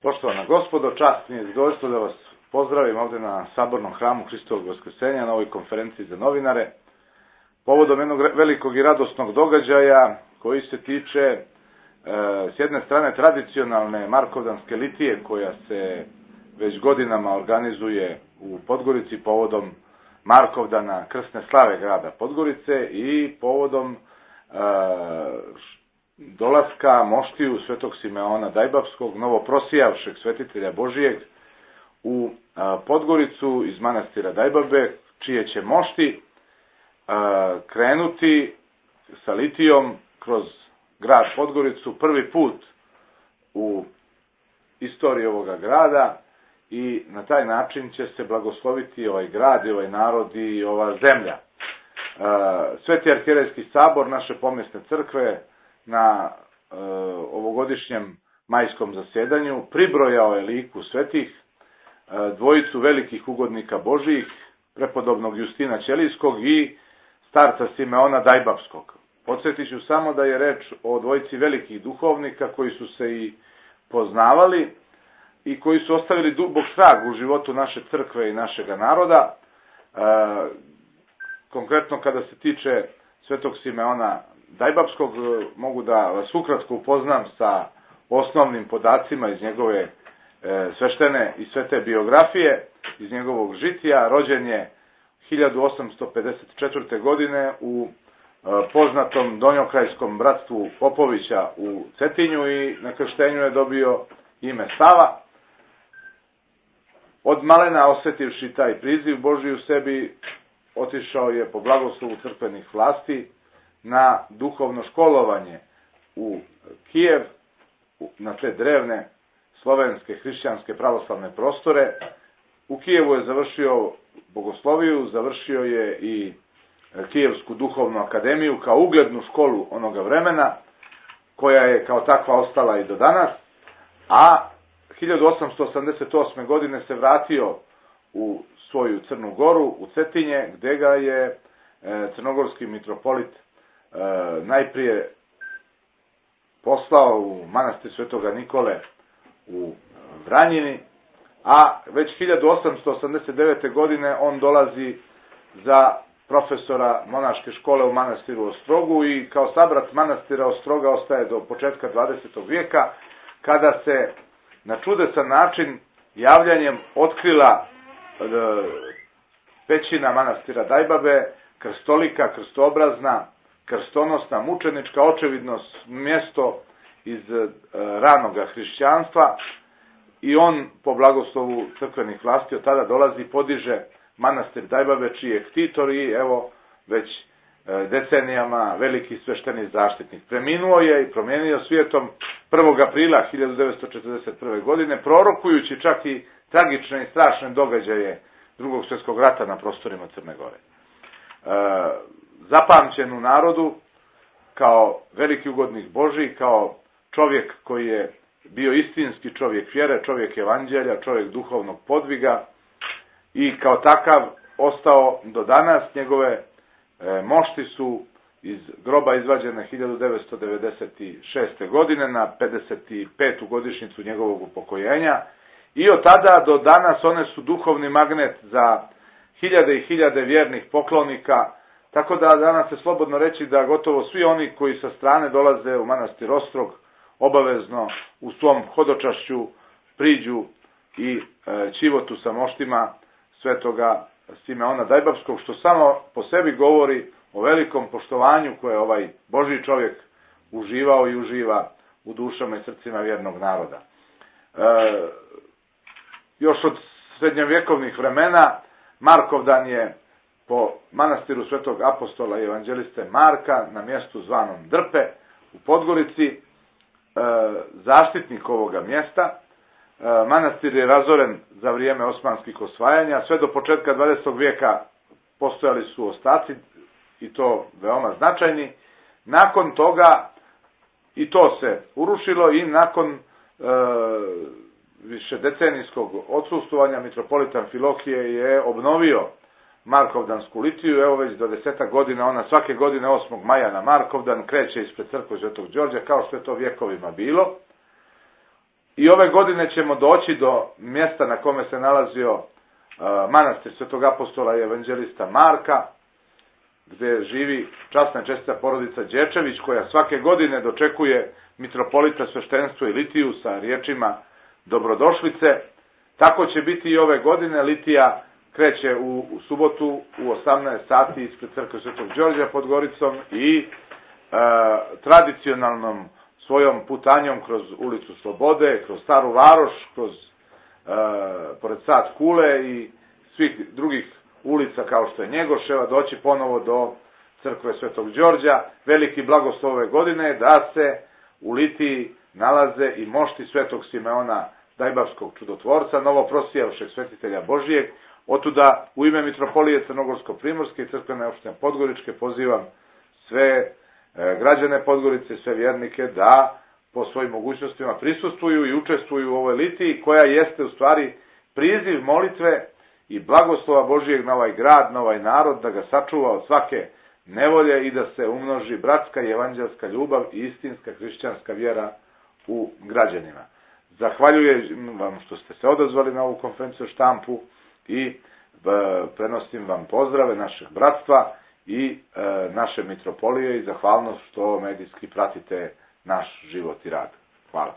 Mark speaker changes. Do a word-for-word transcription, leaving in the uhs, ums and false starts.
Speaker 1: Poštovana gospodo, čast mi je zadovoljstvo da vas pozdravim ovdje na Sabornom hramu Hristovog Vaskrsenja na ovoj konferenciji za novinare, povodom jednog velikog i radosnog događaja koji se tiče e, s jedne strane tradicionalne Markovdanske litije koja se već godinama organizuje u Podgorici povodom Markovdana krsne slave grada Podgorice i povodom e, dolaska moštiju svetog Simeona Dajbavskog, novoprosijavšeg svetitelja Božijeg, u a, Podgoricu iz manastira Dajbabe, čije će mošti a, krenuti sa litijom kroz grad Podgoricu prvi put u istoriji ovoga grada i na taj način će se blagosloviti ovaj grad i ovaj narod i ova zemlja. A, Sveti arhijerejski sabor naše pomjesne crkve na e, ovogodišnjem majskom zasjedanju pribrojao je liku svetih e, dvojicu velikih ugodnika Božijih, prepodobnog Justina Ćelijskog i starca Simeona Dajbavskog. Podsjetit ću samo da je reč o dvojici velikih duhovnika koji su se i poznavali i koji su ostavili dubok trag u životu naše crkve i našega naroda. E, konkretno kada se tiče svetog Simeona Dajbavskog, mogu da vas ukratko upoznam sa osnovnim podacima iz njegove e, sveštene i svete biografije, iz njegovog žitija. Rođen je hiljadu osamsto pedeset četvrte. godine u e, poznatom Donjokrajskom bratstvu Popovića u Cetinju i na krštenju je dobio ime Sava. Od malena osjetivši taj priziv Božji u sebi, otišao je po blagoslovu crkvenih vlasti na duhovno školovanje u Kijev, na te drevne slovenske hrišćanske pravoslavne prostore. U Kijevu je završio bogosloviju, završio je i Kijevsku duhovnu akademiju kao uglednu školu onoga vremena, koja je kao takva ostala i do danas, a hiljadu osamsto osamdeset osme. godine se vratio u svoju Crnu Goru, u Cetinje, gde ga je crnogorski mitropolit E, najprije poslao u manastir Svetoga Nikole u Vranjini, a već hiljadu osamsto osamdeset devete. godine on dolazi za profesora monaške škole u manastiru Ostrogu i kao sabrat manastira Ostroga ostaje do početka dvadesetog vijeka, kada se na čudesan način javljanjem otkrila e, pećina manastira Dajbabe, krstolika, krstoobrazna, krstonosna, mučenička, očevidno mjesto iz e, ranoga hrišćanstva, i on po blagoslovu crkvenih vlasti od tada dolazi i podiže manastir Dajbabe, čiji je ktitor i evo već e, decenijama veliki svešteni zaštitnik. Preminuo je i promijenio svijetom prvog aprila hiljadu devetsto četrdeset prve. godine, prorokujući čak i tragične i strašne događaje Drugog svjetskog rata na prostorima Crne Gore. E, zapamćen u narodu kao veliki ugodnik Božji, kao čovjek koji je bio istinski čovjek vjere, čovjek evanđelja, čovjek duhovnog podviga i kao takav ostao do danas. Njegove e, mošti su iz groba izvađene hiljadu devetsto devedeset šeste. godine na pedeset petu. godišnjicu njegovog upokojenja i od tada do danas one su duhovni magnet za hiljade i hiljade vjernih poklonika. Tako da danas se slobodno reći da gotovo svi oni koji sa strane dolaze u manastir Ostrog obavezno u svom hodočašću priđu i e, čivotu sa moštima svetoga Simeona Dajbavskog, što samo po sebi govori o velikom poštovanju koje ovaj Božji čovjek uživao i uživa u dušama i srcima vjernog naroda. E, još od srednjovjekovnih vremena Markovdan je po manastiru svetog apostola i evanđeliste Marka na mjestu zvanom Drpe u Podgorici e, zaštitnik ovoga mjesta. E, manastir je razoren za vrijeme osmanskih osvajanja. Sve do početka dvadesetog vijeka postojali su ostaci i to veoma značajni. Nakon toga i to se urušilo i nakon e, višedecenijskog odsustvovanja mitropolitan Amfilohije je obnovio Markovdansku litiju. Evo već do desetak godina ona svake godine osmog maja na Markovdan kreće ispred crkve Svetog Đorđa, kao što je to vjekovima bilo. I ove godine ćemo doći do mjesta na kome se nalazio manastir Svetog apostola i evanđelista Marka, gdje živi časna i čestita porodica Đečević, koja svake godine dočekuje mitropolita sveštenstvo i litiju sa riječima dobrodošlice. Tako će biti i ove godine. Litija kreće u, u subotu u osamnaest sati ispred crkve Svetog Đorđa pod Goricom i e, tradicionalnom svojom putanjom kroz ulicu Slobode, kroz Staru Varoš, kroz e, pored Sad Kule i svih drugih ulica kao što je Njegoševa, doći ponovo do crkve Svetog Đorđa. Veliki blagoslov ove godine je da se u Litiji nalaze i mošti Svetog Simeona Dajbavskog čudotvorca, novoprosijavšeg svetitelja Božijeg. Otuda u ime Mitropolije Crnogorsko-Primorske i crkvene opštine Podgoričke pozivam sve građane Podgorice, sve vjernike da po svojim mogućnostima prisustvuju i učestvuju u ovoj litiji, koja jeste u stvari priziv molitve i blagoslova Božijeg na ovaj grad, na ovaj narod, da ga sačuva od svake nevolje i da se umnoži bratska i evanđelska ljubav i istinska hrišćanska vjera u građanima. Zahvaljujem vam što ste se odazvali na ovu konferenciju štampu i prenosim vam pozdrave našeg bratstva i e, naše mitropolije i zahvalnost što medijski pratite naš život i rad. Hvala.